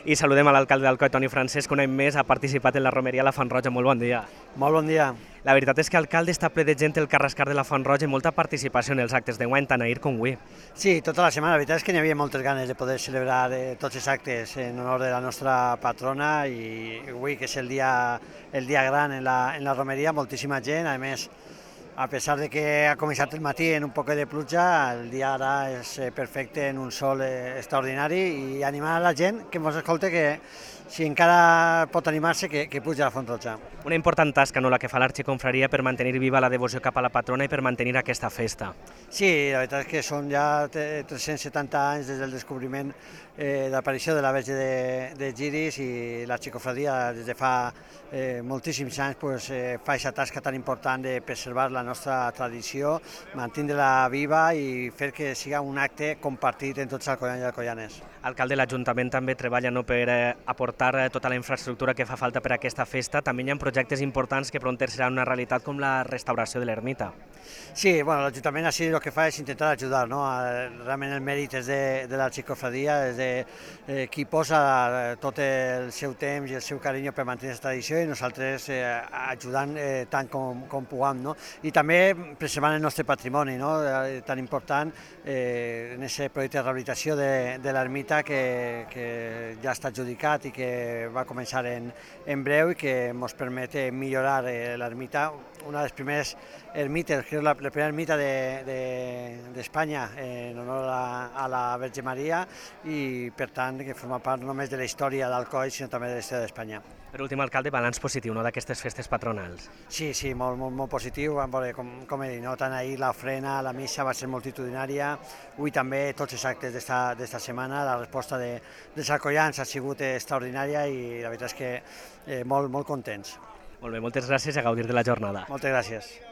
I saludem a l'alcalde d'Alcoi, Toni Francesc, que un any més ha participat en la romeria a la Font Roja. Molt bon dia. Molt bon dia. La veritat és que alcalde està ple de gent el Carrascar de la Font Roja i molta participació en els actes d'enguany, tant ahir com avui. Sí, tota la setmana. La veritat és que n'hi havia moltes ganes de poder celebrar tots els actes en honor de la nostra patrona i avui, que és el dia gran en la romeria, moltíssima gent. A més, a pesar de que ha començat el matí en un poc de pluja, el dia ara és perfecte, en un sol extraordinari, i animar a la gent que ens escolta que si encara pot animar-se, que puja a la Font Roja. Una important tasca, no?, la que fa l'Arxiconfraria per mantenir viva la devoció cap a la patrona i per mantenir aquesta festa. Sí, la veritat és que són ja 370 anys des del descobriment de l'aparició de la Verge de Giris, i l'Arxicofradia des de fa moltíssims anys fa aquesta tasca tan important de preservar la nostra tradició, mantenir-la viva i fer que siga un acte compartit en tots els alcoians i alcoianes. Alcalde, l'Ajuntament també treballa, no?, per aportar tota la infraestructura que fa falta per a aquesta festa. També hi ha projectes importants que pront seran una realitat, com la restauració de l'ermita. Sí, bueno, l'Ajuntament així el que fa és intentar ajudar, no? Realment el mèrit és de l'Arxicofradia, és de qui posa tot el seu temps i el seu carinyo per mantenir aquesta tradició, i nosaltres ajudant tant com puguem, no? I també preservant el nostre patrimoni, no?, tan important en aquest projecte de rehabilitació de l'ermita que ja està adjudicat i que va començar en breu, i que ens permet millorar l'ermita, una de les primeres ermites, que és la primera ermita d'Espanya en honor a la Verge Maria, i per tant que forma part no només de la història d'Alcoi, sinó també de la història d'Espanya. Per últim, alcalde, balanç positiu, no?, d'aquestes festes patronals. Sí, molt positiu. Vam veure, com he dit, no? Tant ahir l'ofrena, la missa va ser multitudinària, avui també tots els actes d'esta setmana, la resposta dels alcoians ha sigut extraordinària i la veritat és que molt contents. Molt bé, moltes gràcies i a gaudir de la jornada. Moltes gràcies.